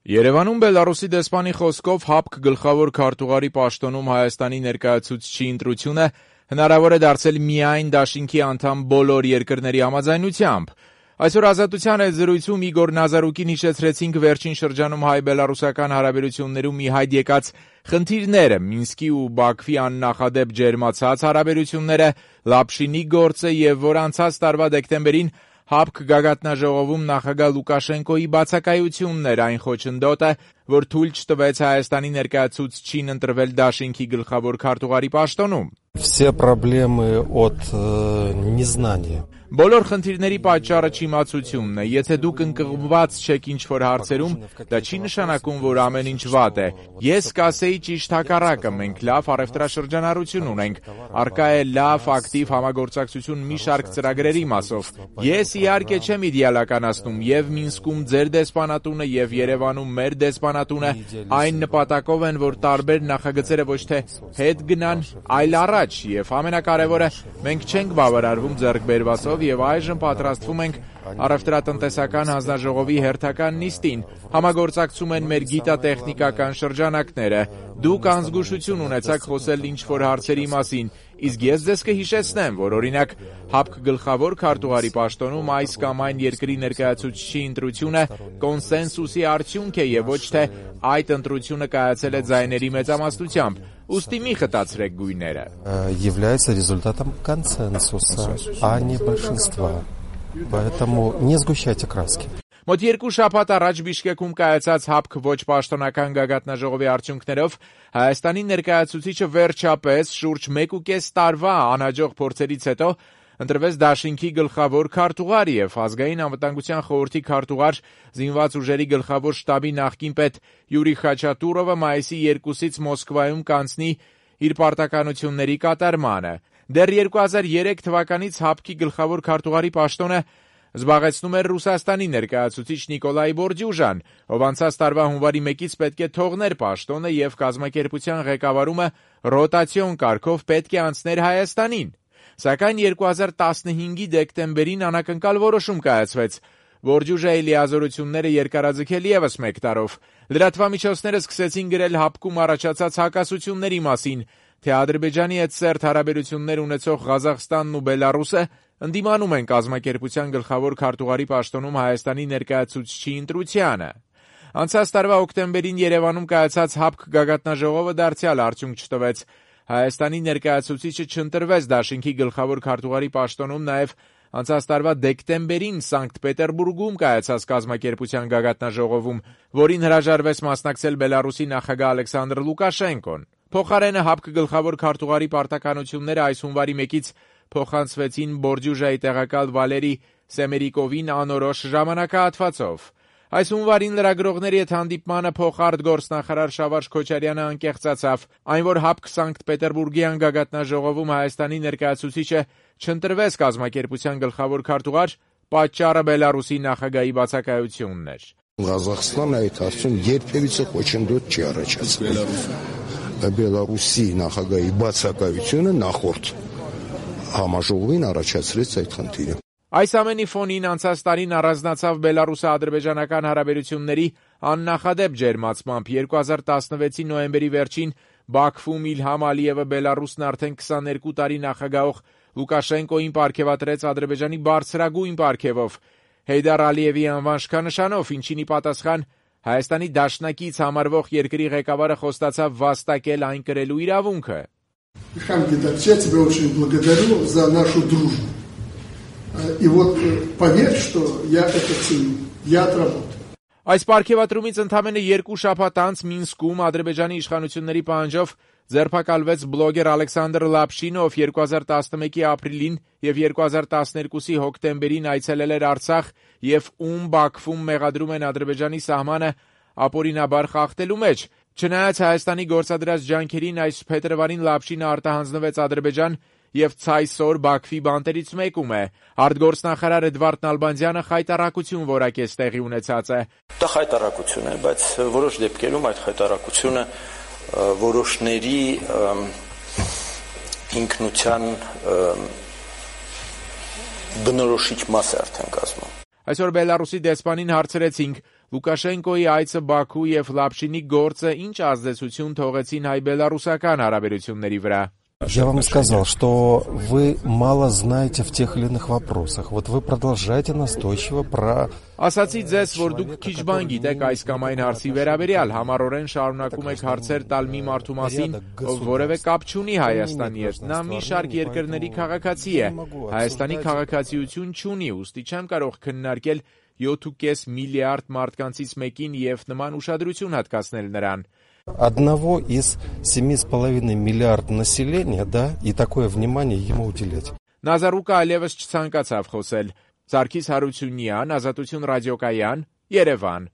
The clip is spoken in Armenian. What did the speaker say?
Երևանում Բելարուսի դեսպանի խոսքով ՀԱՊԿ գլխավոր քարտուղարի պաշտոնում Հայաստանի ներկայացուցչի ընտրությունը հնարավոր է դարձել միայն դաշինքի անդամ բոլոր երկրների համաձայնությամբ։ Այսօր Ազատության հետ զրույցում Իգոր Նազարուկին հիշեցրեցինք վերջին շրջանում հայ-բելարուսական հարաբերություններում ի հայտ եկած խնդիրները, Մինսկի ու Բաքվի աննախադեպ ջերմացած հարաբերությունները, Լապշինի գործը եւ որ անցած տարվա դեկտեմբերին ՀԱՊԿ գագաթնաժողովում նախագահ Լուկաշենկոյի բացակայությունն էր այն խոչընդոտը, որ թույլ չտվեց Հայաստանի ներկայացուցչին ընտրվել դաշինքի գլխավոր քարտուղարի պաշտոնում։ Все проблемы от незнания. Բոլոր խնդիրների պատճառը չիմացությունն է։ Եթե դուք ընկղմված չեք ինչ-որ հարցերում, դա չի նշանակում, որ ամեն ինչ վատ է։ Ես կասեի ճիշտ հակառակը, մենք լավ առևտրաշրջանառություն ունենք, առկա է լավ, ակտիվ համագործակցություն մի շարք ծրագրերի մասով։ Ես իհարկե չեմ իդեալականացնում եւ Մինսկում ձեր դեսպանատունը եւ Երևանում մեր դեսպանատունը այն նպատակով են, որ տարբեր նախագծերը ոչ թե հետ գնան, այլ առաջ, եւ ամենակարևորը, մենք չենք բավարարվում ձեռքբերվածով եւ այժմ պատրաստվում ենք առևտրատնտեսական հանձնաժողովի հերթական նիստին, համագործակցում են մեր գիտատեխնիկական շրջանակները, դուք անզգուշություն ունեցաք խոսել ինչ-որ հարցերի մասին, իսկ ես ձեզ կհիշեցնեմ, որ օրինակ ՀԱՊԿ գլխավոր քարտուղարի պաշտոնում այս կամ այն երկրի ներկայացուցչի ընտրությունը կոնսենսուսի արդյունք է եւ ոչ թե այդ ընտրությունը կայացել է ձայների մեծամասնությամբ, ուստի մի խտացրեք գույները։ Является результатом консенсуса, а не большинства. Поэтому не сгущайте краски. Մոտ 2 շաբաթ առաջ Բիշկեքում կայացած ՀԱՊԿ ոչ պաշտոնական գագաթնաժողովի արդյունքներով Հայաստանի ներկայացուցիչը վերջապես շուրջ 1.5 տարվա անհաջող փորձերից հետո ընտրվեց դաշինքի գլխավոր քարտուղար եւ ազգային անվտանգության խորհրդի քարտուղար զինված ուժերի գլխավոր շտաբի նախկին պետ Յուրի Խաչատուրովը մայիսի 2-ից Մոսկվայում կանցնի իր պարտականությունների կատարմանը։ Դեռ 2003 թվականից ՀԱՊԿ-ի գլխավոր քարտուղարի պաշտոնը զբաղեցնում էր Ռուսաստանի ներկայացուցիչ Նիկոլայ Բորդյուժան, ով անցած տարվա հունվարի 1-ից պետք է թողներ պաշտոնը եւ կազմակերպության ղեկավարումը ռոտացիոն կարգով պետք է անցներ Հայաստանին։ Սակայն 2015-ի դեկտեմբերին անակնկալ որոշում կայացվեց։ Բորդյուժայի լիազորությունները երկարաձգել եւս 1 տարով։ Լրատվամիջոցները սկսեցին գրել ՀԱՊԿ-ում առաջացած հակասությունների մասին, թե Ադրբեջանի հետ սերտ հարաբերություններ ունեցող Ղազախստանն ու Բելարուսը ընդդիմանում են կազմակերպության գլխավոր քարտուղարի պաշտոնում Հայաստանի ներկայացուցչի ընտրությանը։ Անցած տարվա օկտեմբերին Երևանում կայացած ՀԱՊԿ գագաթնաժողովը դարձյալ արդյունք չտվեց։ Հայաստանի ներկայացուցիչը չընտրվեց դաշինքի գլխավոր քարտուղարի պաշտոնում նաև անցած տարվա դեկտեմբերին Սանկտ Պետերբուրգում կայացած կազմակերպության գագաթնաժողովում, որին հրաժարվեց մասնակցել Բելարուսի նախագահ Ալեքսանդր Լուկաշենկոն։ Փոխարենը ՀԱՊԿ գլխավոր քարտուղարի պարտականությունները այս հունվարի 1-ից փոխանցվեցին Բորդյուժայի տեղակալ Վալերի Սեմերիկովին անորոշ ժամանակահատվածով։ Այս հունվարին լրագրողների հետ հանդիպմանը փոխարտգործնախարար Շավարժ Քոչարյանը անկեղծացավ, այն որ ՀԱՊԿ Սանկտ Պետերբուրգյան գագաթնաժողովում Հայաստանի ներկայացուցիչը չընտրվեց կազմակերպության գլխավոր քարտուղար, պատճառը Բելարուսի նախագահի բացակայությունն էր։ Ղազախստանը այդ հարցում երբևիցե խոչընդոտ չի առաջացրել։ Բելարուսի նախագահի բացակայությունը նախորդ համաժողովին առաջացրեց այդ խնդիրը։ Այս ամենի ֆոնին անցած տարին առանձնացավ բելարուսա-ադրբեջանական հարաբերությունների աննախադեպ ջերմացմամբ 2016-ի նոյեմբերի վերջին Բաքվում Իլհամ Ալիևը Բելարուսն արդեն 22 տարի նախագահող Լուկաշենկոին պարգևատրեց Ադրբեջանի բարձրագույն պարգևով Հեյդար Ալիևի անվան շքանշանով, ինչին ի պատասխան Հայաստանի դաշնակից համարվող երկրի ղեկավարը խոստացավ վաստակել այն կրելու իրավունքը։ Я тебя очень благодарю за нашу дружбу. И вот поверь, что я это ценю. Я отработаю. Այս պարգևատրումից ընդամենը 2 շաբաթ անց Մինսկում Ադրբեջանի իշխանությունների պահանջով ձերբակալվեց բլոգեր Ալեքսանդր Լապշինը, ով 2011-ի ապրիլին եւ 2012-ի հոկտեմբերին այցելել էր Արցախ եւ ում Բաքվում մեղադրում են Ադրբեջանի սահմանը ապօրինաբար խախտելու մեջ։ Չնայած Հայաստանի գործադրած ջանքերին այս փետրվարին Լապշինը արտահանձնվեց Ադրբեջան եւ ցայսօր Բաքվի բանտերից մեկում է։ Արտգործնախարար Էդվարդ Նալբանդյանը խայտառակություն որակեց տեղի ունեցածը։ Դա խայտառակություն է, բայց որոշ դեպքերում այդ խայտառակությունը որոշների ինքնության բնորոշիչ մաս է արդեն կազմում։ Այսօր Բելարուսի դեսպանին հարցրեցինք, Լուկաշենկոյի այցը Բաքու եւ Լապշինի գործը ինչ ազդեցություն թողեցին հայ-բելարուսական հարաբերությունների վրա։ Я вам сказал, что вы мало знаете в тех или иных вопросах. Вот вы продолжаете настойчиво про... Ասացի ձեզ, որ դուք քիչ բան գիտեք այս կամ այն հարցի վերաբերյալ, համառորեն շարունակում եք հարցեր տալ մի մարդու մասին, ով որևէ կապ չունի Հայաստանի հետ։ Նա մի շարք երկրների քաղաքացի է։ Հայաստանի քաղաքացիություն չունի, ուստի չեմ կարող քննարկել 7.5 միլիարդ մարդկանցից մեկին եւ նման ուշադրություն հատկացնել նրան։ Одного из 7,5 миллиарда населения, да, и такое внимание ему уделять. Նազարուկը այլևս չցանկացավ խոսել։ Սարգիս Հարությունյան, Ազատություն ռադիոկայան, Երևան։